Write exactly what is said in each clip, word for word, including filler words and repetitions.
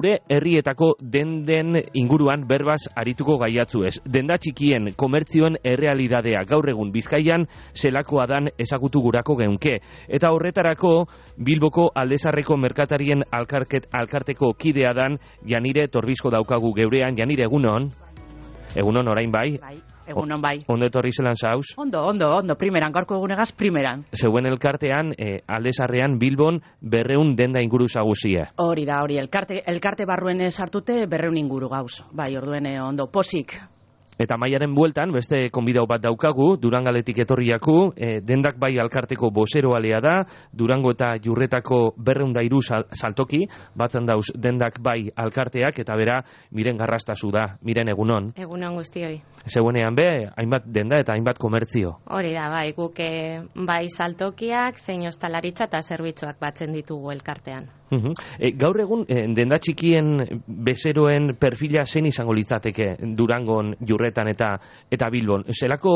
Gure herrietako denden inguruan berbaz arituko gaiatzu ez. Denda txikien komertzioen errealidadea gaur egun Bizkaian zelakoa dan ezagutu gurako geunke. Eta horretarako Bilboko Aldezarreko merkatarien alkarket, alkarteko kidea dan Janire Torbizko daukagu geurean. Janire, egunon? Egunon orain bai? Bai. Egunon bai. Ondo etorri zelan zauz? Ondo, ondo, ondo, primeran, gaurko egunegaz, primeran. Zeuen elkartean, eh, Aldezarrean Bilbon berreun denda inguru zaguzie. Hori da, hori, elkarte, elkarte barruen sartute berreun inguru gauz. Bai, orduen eh, ondo, posik. Eta maiaren bueltan, beste konbidau bat daukagu, Durangaletik etorriaku, e, dendak bai alkarteko bozeroalea da, Durango eta Jurretako berreundairu sal, saltoki, batzen dauz dendak bai alkarteak, eta bera, miren garrastazu da, miren egunon. Egunon guztioi. Zeuenean be, hainbat denda eta hainbat komertzio. Hori da, bai, guk bai saltokiak, zein ostalaritza eta zerbitzuak batzen ditugu elkartean. Uhum. E, gaur egun, e, denda txikien bezeroen perfila zein izango litzateke Durangon, Jurretan eta eta Bilbon. Zelako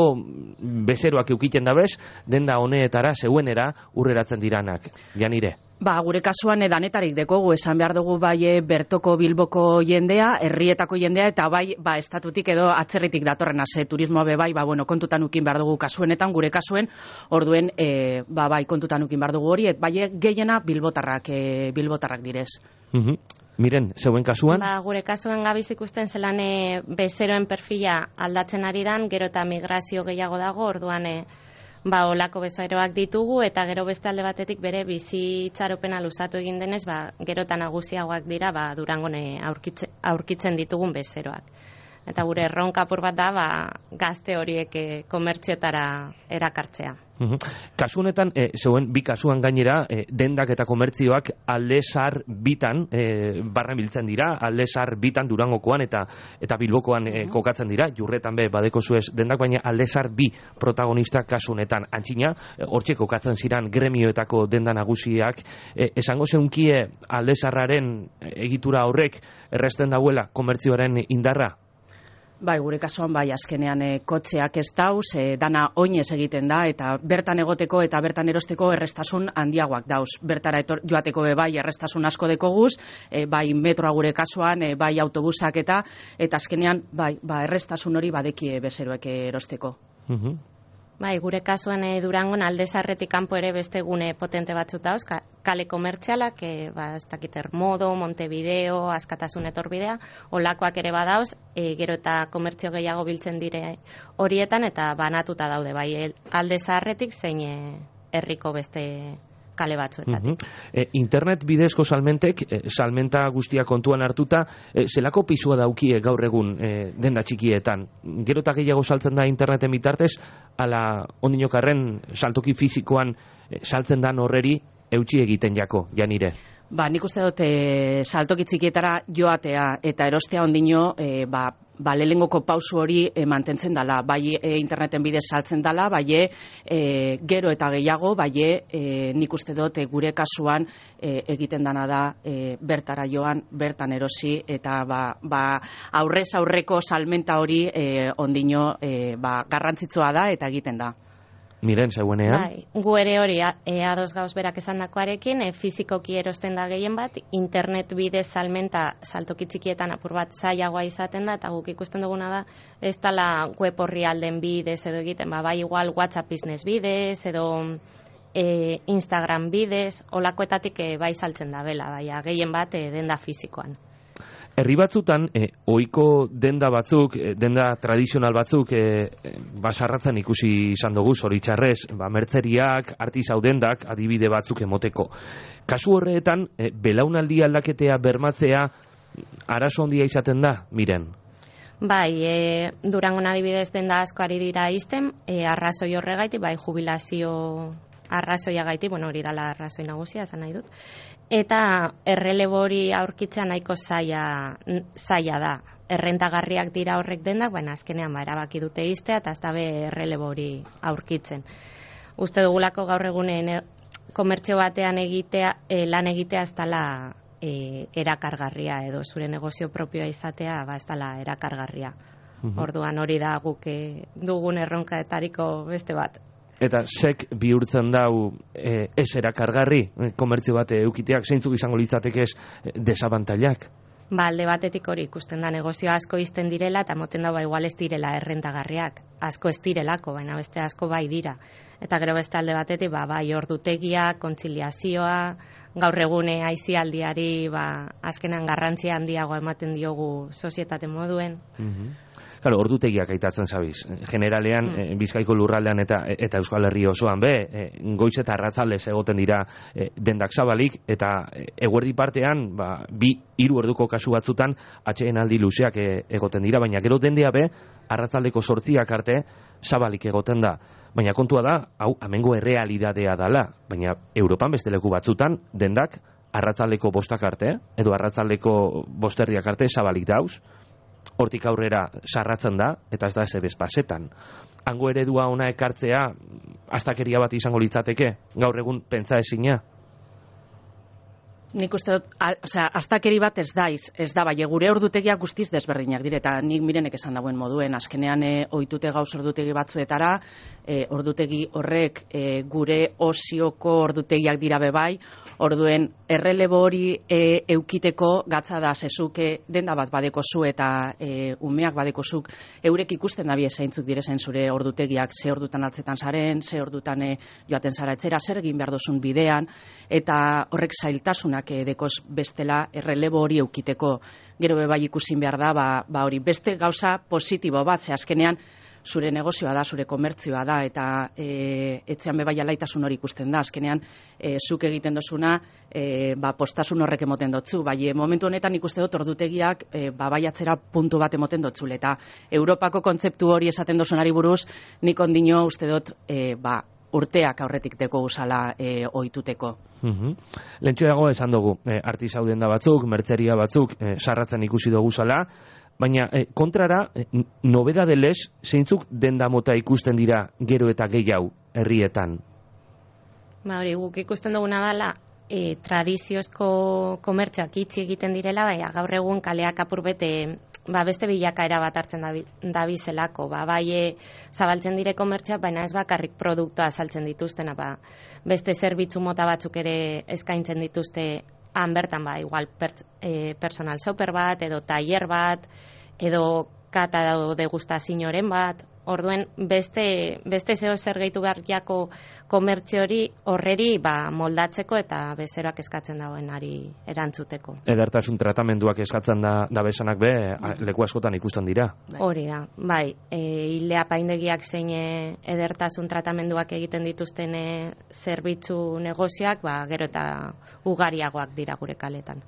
bezeroak eukiten dabez, denda honetara, zeuenera, urreratzen diranak. Janire? Ba, gure kasuan edanetarik dekogu, esan behar dugu bai bertoko Bilboko jendea, herrietako jendea, eta bai, ba, estatutik edo atzerritik datorren ase, turismoa be bai, ba, bueno, kontutan ukin behar dugu kasuenetan, gure kasuen, orduen, e, ba, bai, kontutan ukin behar dugu hori, et bai, gehiena bilbotarrak, e, bilbotarrak direz. Mhm. Miren, zeuen kasuan? Ba, gure kasuan gabiz ikusten zelan e, bezeroen perfila aldatzen ari dan, gero eta migrazio gehiago dago, orduan e, ba, olako bezeroak ditugu, eta gero beste alde batetik bere bizitzaropena luzatu egin denez, ba, gero eta nagusiagoak dira, ba, Durangone aurkitze, aurkitzen ditugun bezeroak. Eta gure erronka apur bat da, ba, gazte horiek e, komertziotara erakartzea. Uhum. Kasu honetan, e, zeuen bi kasuan gainera, e, dendak eta komertzioak Aldezar bitan e, barra biltzen dira, Aldezar bitan Durangokoan eta eta Bilbokoan e, kokatzen dira, Jurretan be badeko zuez dendak, baina Aldezar bi protagonista kasu honetan. Antxina, e, hortxe kokatzen ziran gremioetako denda nagusiak, e, esango zeunkie Aldezarraren egitura horrek erresten dauela komertzioaren indarra? Bai, gure kasuan bai, azkenean e, kotxeak ez dauz, e, dana oinez egiten da, eta bertan egoteko eta bertan erosteko errestasun handiagoak dauz. Bertara etor, joateko be bai, errestasun asko dekoguz, e, bai metroa gure kasuan, e, bai autobusak eta, eta azkenean, bai, ba, errestasun hori badekie bezeroek erosteko. Mhm. Bai, gure kasuan e, Durangon Aldezarretik kanpo ere beste gune potente batzuk dauz, ka, kale komertzialak, e, ba, ez dakiter Modo, Montevideo, Askatasun etorbidea, olakoak ere badauz, e, gero eta komertzio gehiago biltzen dire horietan, eta banatuta daude, bai, Aldezarretik zein e, herriko beste kale batzuetatik. Uh-huh. e, internet bidezko salmentek, e, salmenta guztia kontuan hartuta, e, zelako pisua daukie gaur egun e, denda txikietan? Gero eta gehiago saltzen da interneten bitartez, ala ondinokarren saltoki fizikoan e, saltzen dan horreri eutxi egiten jako, Janire? Ba, nik uste dut e, saltoki txikietara joatea eta erostea ondino, e, ba, ba, lehengoko pausu hori e, mantentzen dala, bai e, interneten bidez saltzen dala, bai e, gero eta gehiago, bai e, nik uste dut e, gure kasuan e, egiten dana da e, bertara joan, bertan erosi, eta ba, ba, aurrez aurreko salmenta hori e, ondino e, ba, garrantzitsua da eta egiten da. Miren, zeuenean? Bai, gu ere hori e, ados gauz berak esandakoarekin, e, fizikoki erosten da gehien bat, internet bidez salmenta saltoki txikietan apur bat zailagoa izaten da, eta guk ikusten duguna da, ez dala web horri alden bidez edo egiten, ba, bai igual WhatsApp business bidez, edo e, Instagram bidez, olakoetatik e, bai saltzen da bela, bai, gehien bat e, denda fizikoan. Herri batzutan, e, ohiko denda batzuk, e, denda tradizional batzuk, e, e, basarratzen ikusi izan dugu, zoritxarrez, ba, mertzeriak, artisau dendak, adibide batzuk emoteko. Kasu horretan, e, belaunaldi aldaketea bermatzea, arazo handia izaten da, Miren? Bai, e, Durangon adibidez denda asko ari dira izten, e, arrazoi horregaitik, bai, jubilazio arrazoia gaiti, bueno, hori dala arrazoi nagusia, esan nahi dut. Eta errelebo hori aurkitzea nahiko zaila, zaila da. Errentagarriak dira horrek dendak, baina azkenean ba, erabaki dute iztea, eta ez dabe errelebo hori aurkitzen. Uste dugulako gaur egunen komertzio batean egitea, e, lan egitea ez dala e, erakargarria, edo zure negozio propioa izatea, ba ez dala erakargarria. Uh-huh. Orduan hori da guk e, dugun erronkaetariko beste bat. Eta sek bihurtzen dau e, ez erakargarri, komertzio bat eukiteak, zeintzuk izango litzatekez desabantailak? Ba, alde batetik hori ikusten da negozio asko izten direla eta moten da ba igual ez direla errentagarriak. Asko ez direlako, baina beste asko bai dira. Eta gero beste alde batetik ba bai ordutegia, kontziliazioa, gaur egune aisialdiari ba azkenan garrantzia handiagoa ematen diogu sozietate moduen. Mhm. Claro, ordutegiak aitatzen zabiz. Generalean, mm. e, Bizkaiko lurraldean eta eta Euskal Herri osoan be, e, goiz eta arratzaldez egoten dira e, dendak zabalik, eta e, eguerdi partean, ba, bi hiru orduko kasu batzutan, atsedenaldi luzeak e, egoten dira, baina gero dendea be, arratzaldeko sortziak arte, zabalik egoten da. Baina kontua da, hau, amengo errealidadea dala, baina Europan beste leku batzutan, dendak, arratzaldeko bostak arte, edo arratzaldeko bosterdiak arte, zabalik dauz, hortik aurrera sarratzen da, eta ez da ez bezpasetan. Hango eredua ona ekartzea, astakeria bat izango litzateke, gaur egun pentsa ezina? Nik uste dut, osea, astakeri bat ez daiz, ez da, bai, gure ordutegiak guztiz desberdinak dire, eta nik mirenek esan dagoen moduen, azkenean e, ohitute gauz ordutegi batzuetara, e, ordutegi horrek e, gure osioko ordutegiak dira bebai, orduen errelebo hori e, eukiteko gatza da zezuke denda bat badekozu eta e, umeak badekozuk, eurek ikusten dabie zeintzuk direzen zure ordutegiak, ze ordutan altzetan zaren, ze ordutan e, joaten zara etxera, zer egin behar dozun bidean, eta horrek zailtasunak dekoz bestela errelebo hori eukiteko. Gero bebai ikusin behar da, ba, ba hori beste gauza positibo bat, ze azkenean zure negozioa da, zure komertzioa da, eta e, etxean bebai alaitasun hori ikusten da, azkenean e, zuk egiten dozuna, e, ba, postasun horrek emoten dotzu, bai, e, momentu honetan ikuste dut ordutegiak e, ba, bai atzera puntu bat emoten dotzule, eta Europako kontzeptu hori esaten dozunari buruz, nik ondino uste dut, e, ba, urteak aurretik teko usala e, ohituteko. Mm-hmm. Lentxo dago esan dugu, e, artisau denda batzuk, mertzeria batzuk, e, sarratzen ikusi dugu zala, baina e, kontrara, e, nobedadelez, zeintzuk denda mota ikusten dira gero eta gehiago herrietan? Ba hori, guk ikusten duguna dela, e, tradiziozko komertzioak itxi egiten direla, baina gaur egun kaleak apur bete ba, beste bilakaera bat hartzen dabizelako, ba, bai e, zabaltzen dire komertzioak, baina ez bakarrik produktua saltzen dituztena, ba, beste zerbitzu mota batzuk ere eskaintzen dituzte han bertan, ba, igual per, e, personal shopper bat, edo tailer bat, edo kata edo degustazioren bat, orduen beste, beste zeo zer gehitu behar jako komertzio hori horreri ba, moldatzeko eta bezeroak eskatzen dagoenari erantzuteko. Edertasun tratamenduak eskatzen da, da besanak be, leku askotan ikusten dira. Hori da, bai, e, hile apaindegiak zein edertasun tratamenduak egiten dituzten e, zerbitzu negozioak, ba, gero eta ugariagoak dira gure kaletan.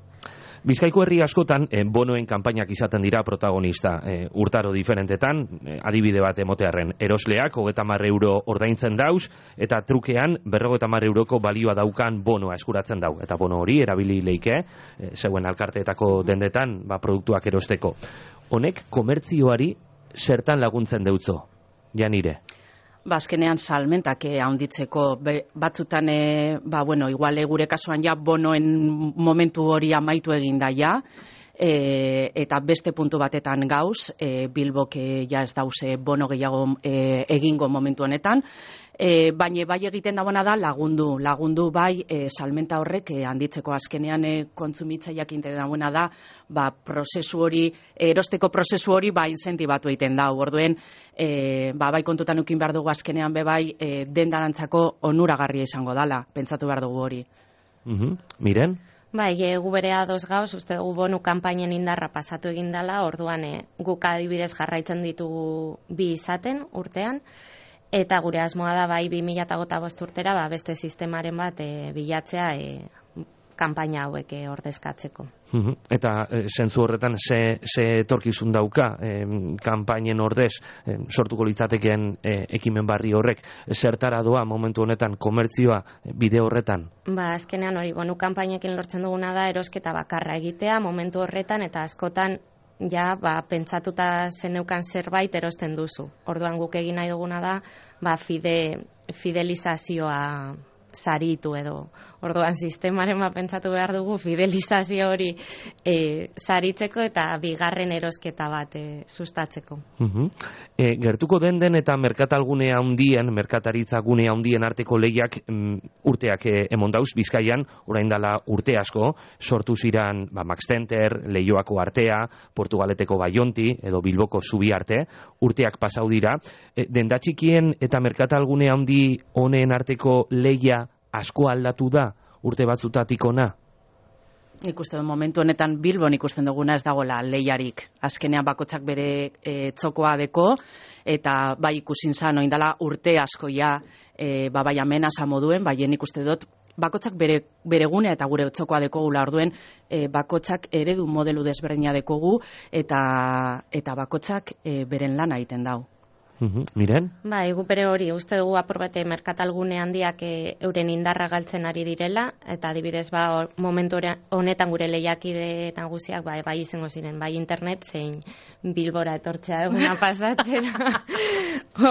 Bizkaiko herri askotan eh, bonoen kanpainak izaten dira protagonista eh, urtaro diferentetan, eh, adibide bat emotearren, erosleak hogeita hamar euro ordaintzen dauz, eta trukean berrogeita hamar euroko balioa daukan bonoa eskuratzen dau. Eta bono hori erabili leike, eh, zeuen alkarteetako dendetan ba, produktuak erosteko. Honek komertzioari zertan laguntzen deutzo, Janire? Ba, azkenean salmentak eh, handitzeko be, batzutan, eh, ba, bueno, igual gure kasuan ja bonoen momentu hori amaitu egin da ja, e, eta beste puntu batetan gauz, e, Bilbok e, ja ez dauze bono gehiago e, egingo momentu honetan, e, baina bai egiten dagoena da lagundu, lagundu bai e, salmenta horrek e, handitzeko azkenean e, kontsumitzaileak egiten dagoena da, ba, prozesu hori, erosteko prozesu hori ba inzentibatu egiten da, orduen, e, ba, bai kontutan ukin behar dugu azkenean be bai e, dendarantzako onuragarria izango dala, pentsatu behar dugu hori. Mm-hmm. Miren? Bai, e, gu bere ados gauz, uste dugu bonu kanpainen indarra pasatu egin dela, orduan e, guk adibidez jarraitzen ditugu bi izaten urtean, eta gure asmoa da bai bi mila hogeita bost urtera ba, beste sistemaren bat e, bilatzea e, kanpaina hauek e, ordezkatzeko. Mm-hmm. Eta e, zentzu horretan ze, ze etorkizun dauka e, kanpainen ordez e, sortuko litzatekeen e, ekimen barri horrek, zertara doa momentu honetan komertzioa e, bide horretan? Ba, azkenean hori, bonu kanpainekin lortzen duguna da erosketa bakarra egitea momentu horretan eta askotan ja, ba, pentsatuta zeneukan zerbait erosten duzu. Orduan guk egin nahi duguna da, ba, fide, fidelizazioa saritu edo. Orduan sistemaren bat pentsatu behar dugu fidelizazio hori e, saritzeko eta bigarren erosketa bat e, sustatzeko. Uh-huh. E, gertuko den den eta merkatalgune handien, merkataritza gune handien arteko lehiak mm, urteak e, emon dauz, Bizkaian, orain dala urte asko, sortu ziran ba, Max Center, Leioako artea, Portugaleteko Baionti, edo Bilboko Zubi arte, urteak pasau dira. E, denda txikien eta merkatalgune handi honen arteko lehia asko aldatu da urte batzutatik ona? Ikusten momentu honetan Bilbon ikusten duguna ez dagoela lehiarik. Azkenean bakotzak bere e, txokoa deko, eta bai ikusin zan oindala urte asko ja, e, ba bai amenaza moduen, baien ikuste dut bakotzak bere, bere gunea eta gure txokoa dekogula orduen, e, bakotzak eredu modelu desberdina dekogu, eta, eta bakotzak e, beren lana egiten dau. Uhum. Miren? Ba, egu bere hori, uste dugu apurbete merkatalgune handiak e, euren indarra galtzen ari direla, eta adibidez ba, or, momentu honetan gure lehiakide nagusiak ba, bai izango ziren, bai internet zein Bilbora etortzea eguna pasatzera.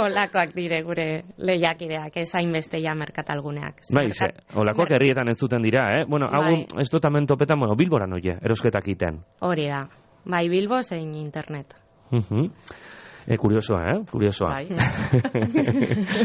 Olakoak dire gure lehiakideak, ez hainbeste ja merkatalguneak. Bai, ze, olakoak herrietan ez zuten dira, eh? Bueno, hau, bai. Ez dut amen topetan, bueno, Bilbora noie, erosketak iten. Hori da, bai Bilbo zein internet. Uhum. E, kuriosoa, eh? Kuriosoa. Bai.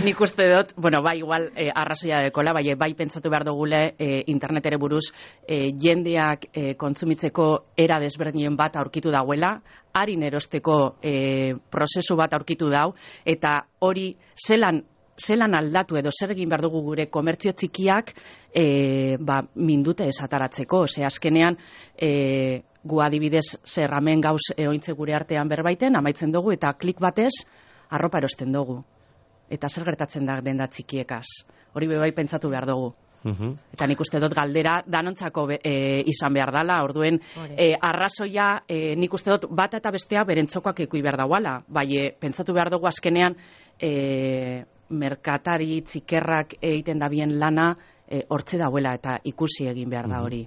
Nik uste dut, bueno, bai, igual, eh, arrazoia dekola, bai, bai pentsatu behar dugule eh, internetere buruz eh, jendeak eh, kontsumitzeko era desberdinen bat aurkitu dauela, harin erosteko eh, prozesu bat aurkitu dau, eta hori zelan zelan aldatu edo zer egin behar dugu gure komertzio txikiak e, ba, mindute esataratzeko. Ze azkenean e, gu adibidez zerramen gauz eointze gure artean berbaiten, amaitzen dugu eta klik batez arropa erosten dugu. Eta zer gertatzen da denda txikiekaz. Hori bebai pentsatu behar dugu. Uhum. Eta nik uste dut galdera danontzako e, izan behar dela, orduen e, arrazoia e, nik uste dut bat eta bestea beren txokoak ekui behar dauala, bai e, pentsatu behar dugu azkenean e, merkatari txikerrak egiten da bien lana e, hortze dauela eta ikusi egin behar da hori.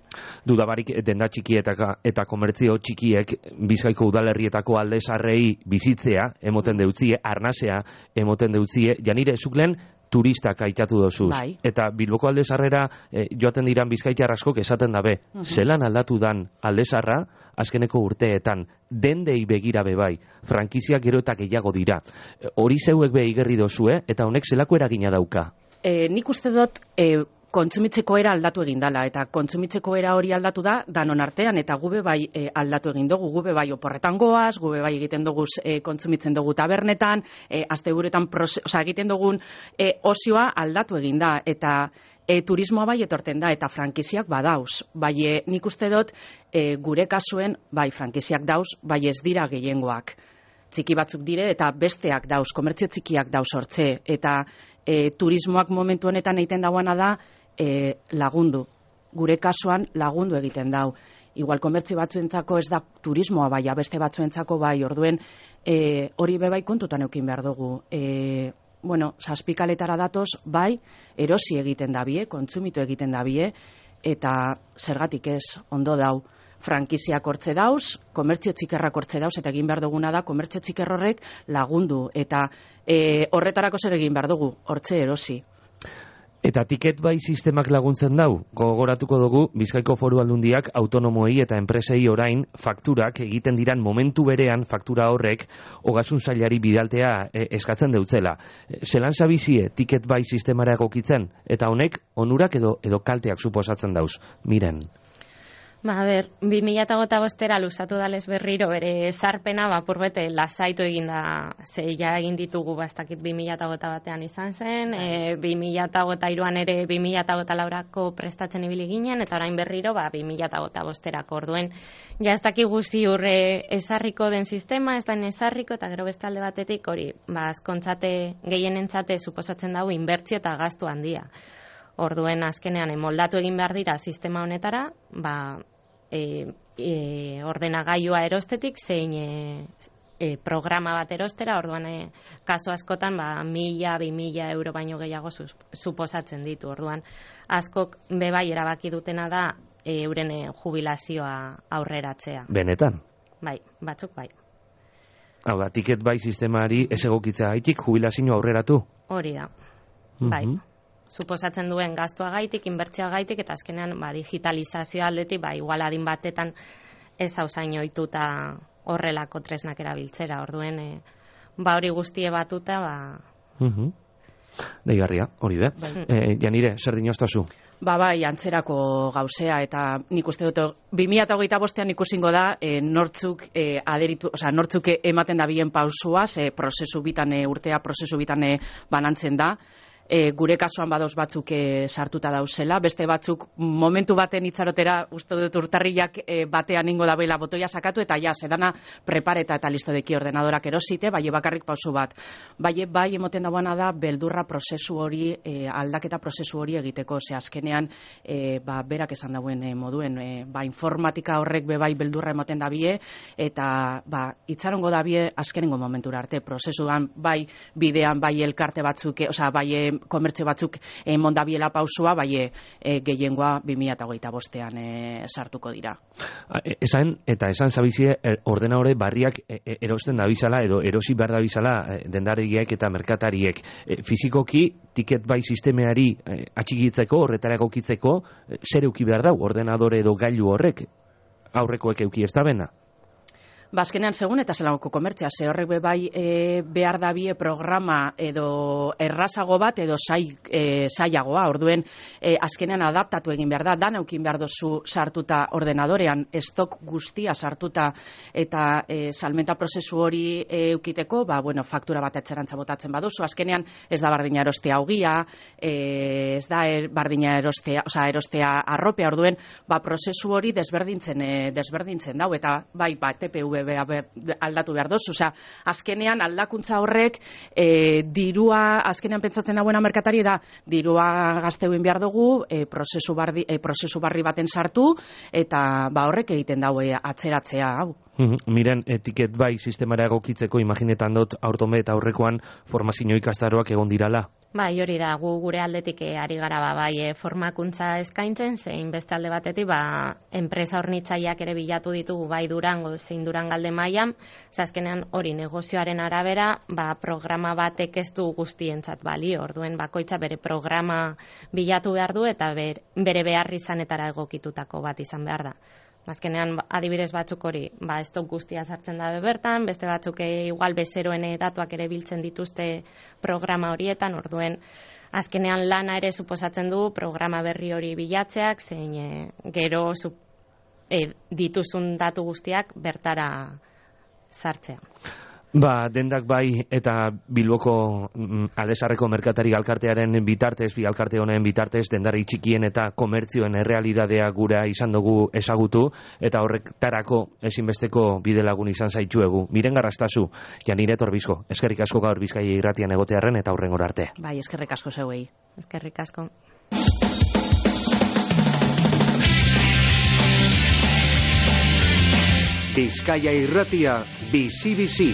Dudabarik denda txiki eta, eta komertzio txikiek Bizkaiko udalerrietako aldesarrei bizitzea emoten deutzie, arnasea emoten deutzie, janire zuklen turistak aitatu dozuz. Bai. Eta Bilboko aldesarrera e, joaten diran bizkaitar askok esaten dabe. Uh -huh. Zelan aldatu dan aldesarra azkeneko urteetan, dendei begira bebai, frankiziak gero eta gehiago dira. E, hori zeuek be igerri dozue, eta honek zelako eragina dauka? E, nik uste dut e, kontsumitzeko era aldatu egin dala, eta kontsumitzeko era hori aldatu da danon artean, eta gube bai e, aldatu egin dugu, gube bai oporretan goaz, gube bai egiten dugu e, kontsumitzen dugu tabernetan, e, asteburuetan oza, egiten dugun e, osioa aldatu egin da, eta e, turismoa bai etorten da, eta frankiziak badauz. Bai, e, nik uste dut e, gure kasuen, bai frankiziak dauz, bai ez dira gehiengoak. Txiki batzuk dire, eta besteak dauz, komertzio txikiak dauz hortze, eta e, turismoak momentu honetan egiten dauana da, E, lagundu. Gure kasuan lagundu egiten dau. Igual komertzio batzuentzako ez da turismoa bai, beste batzuentzako bai, orduen e, hori bebai kontutan eukin behar dugu. E, bueno, zazpikaletara datoz, bai, erosi egiten da bie, kontsumitu egiten da bie, eta zergatik ez, ondo dau. Frankiziak hortze dauz, komertzio txikerrak hortze dauz, eta egin behar duguna da, komertzio txikerrorrek lagundu, eta e, horretarako zer egin behar dugu, hortze erosi. Eta tiket bai sistemak laguntzen dau, gogoratuko dugu Bizkaiko Foru Aldundiak autonomoei eta enpresei orain fakturak egiten diran momentu berean faktura horrek ogasun sailari bidaltea e, eskatzen deutzela. Zelan zabizie tiket bai sistemara egokitzen, eta honek onurak edo edo kalteak suposatzen dauz. Miren. Ba, a ber, bi mila hogeita bostera luzatu dalez berriro bere esarpena, ba, purbete, lasaitu egin da, zeia egin ditugu, bastakit bi mila hogeita batean izan zen, e, bi mila hogeita hiruan ere bi mila hogeita laurako prestatzen ibili ginen, eta orain berriro, ba, bi mila hogeita bosterako orduen. Ja, ez dakigu ziurre esarriko den sistema, ez da esarriko, eta gero bestalde batetik, hori, ba, azkontzate, gehienentzate, suposatzen dago, inbertzio eta gastu handia. Orduen, azkenean, moldatu egin behar dira sistema honetara, ba, E, e, ordenagailua erostetik zein e, e, programa bat erostera, orduan e, kasu askotan ba, mila, bi mila euro baino gehiago sus, suposatzen ditu. Orduan askok bebai erabaki dutena da e, euren e, jubilazioa aurreratzea. Benetan? Bai, batzuk bai. Hau da, tiket bai sistemari ez egokitzea gaitik jubilazio aurreratu? Hori da, bai. Mm-hmm. suposatzen duen gastuagaitik, inbertsioagaitik, eta azkenean ba, digitalizazio aldetik, ba, igual adin batetan ez hauzain ohituta horrelako tresnak erabiltzera, orduen e, ba hori guztie batuta, ba... Uh-huh. Deigarria, hori be. Bai. E, Janire, zer dinoztazu? Ba, bai, antzerako gauzea, eta nik uste dut, bi mila hogeita bostean ikusingo da, e, nortzuk e, aderitu, osea, nortzuk ematen da bien pausuaz, e, prozesu bitan, e, urtea prozesu bitan e, banantzen da. E, gure kasuan badoz batzuk e, sartuta dauzela, beste batzuk momentu baten itxarotera, uste dut urtarriak e, batean ingo da bela botoia sakatu, eta ja, sedana prepareta eta listo deki ordenadorak erosite, bai bakarrik pausu bat. Bai, bai emoten dagoena da, beldurra prozesu hori, e, aldaketa prozesu hori egiteko, ze azkenean, e, ba, berak esan dauen e, moduen, e, ba, informatika horrek be bai beldurra emoten da bie, eta, ba, itxarongo da bie azkenengo momentura arte, prozesuan, bai, bidean, bai elkarte batzuk, e, osea, bai, e, komertzio batzuk emon dabiela pausua, bai e, gehiengoa bi mila hogeita bostean e, sartuko dira. Esan, eta esan zabizie, ordenadore barriak erosten dabizala, edo erosi behar dabizala dendariek eta merkatariek. E, fizikoki, tiket bai sistemeari e, atxikitzeko, horretara egokitzeko, zer euki behar dau, ordenadore edo gailu horrek, aurrekoek euki ez da bena? Bazkenean segun eta zelagoko komertzia, ze horrek be bai e, behar dabie programa edo errazago bat edo zai, e, zaiagoa, orduen e, azkenean adaptatu egin behar da, dan eukin behar dozu sartuta ordenadorean, estok guztia sartuta eta e, salmenta prozesu hori e, eukiteko, ba, bueno, faktura bat etxerantza botatzen baduzu, azkenean ez da bardina erostea augia, e, ez da er, bardina erostea, oza, erostea arropea, orduen, ba, prozesu hori desberdintzen, e, desberdintzen dau, eta bai, ba, T P V aldatu behar dozu, osea, azkenean aldakuntza horrek e, dirua, azkenean pentsatzen dagoena merkatari da, dirua gazteuin behar dugu, e, prozesu, barri, e, prozesu barri baten sartu, eta ba horrek egiten daue atzeratzea, hau. Miren, etiket bai sistemara egokitzeko, imaginetan dut aurtome eta aurrekoan formazio ikastaroak egon dirala. Bai, hori da, gu gure aldetik e, ari gara ba, bai, e, formakuntza eskaintzen, zein beste alde batetik, ba, enpresa hornitzaileak ere bilatu ditugu, bai Durango, zein Durangalde mailan, azkenean hori negozioaren arabera, ba, programa batek ez du guztientzat balio, orduen bakoitza bere programa bilatu behar du, eta ber, bere behar izanetara egokitutako bat izan behar da. Azkenean, adibidez batzuk hori, ba, ez dut guztia sartzen dabe bertan, beste batzuk e, igual bezeroen datuak ere biltzen dituzte programa horietan, orduen, azkenean lana ere suposatzen du programa berri hori bilatzeak, zein e, gero su, e, dituzun datu guztiak bertara sartzea. Ba, dendak bai eta Bilboko mm, Alesarreko merkatari alkartearen bitartez, bi alkarte honen bitartez, dendari txikien eta komertzioen errealidadea gura izan dugu ezagutu, eta horretarako ezinbesteko bidelagun izan zaituegu. Miren Garrastazu, Janire Torbizko, eskerrik asko gaur Bizkaia irratian egotearren eta hurrengora arte. Bai, eskerrik asko zeuei. Eskerrik asko. Bizkaia irratia, bizi-bizi.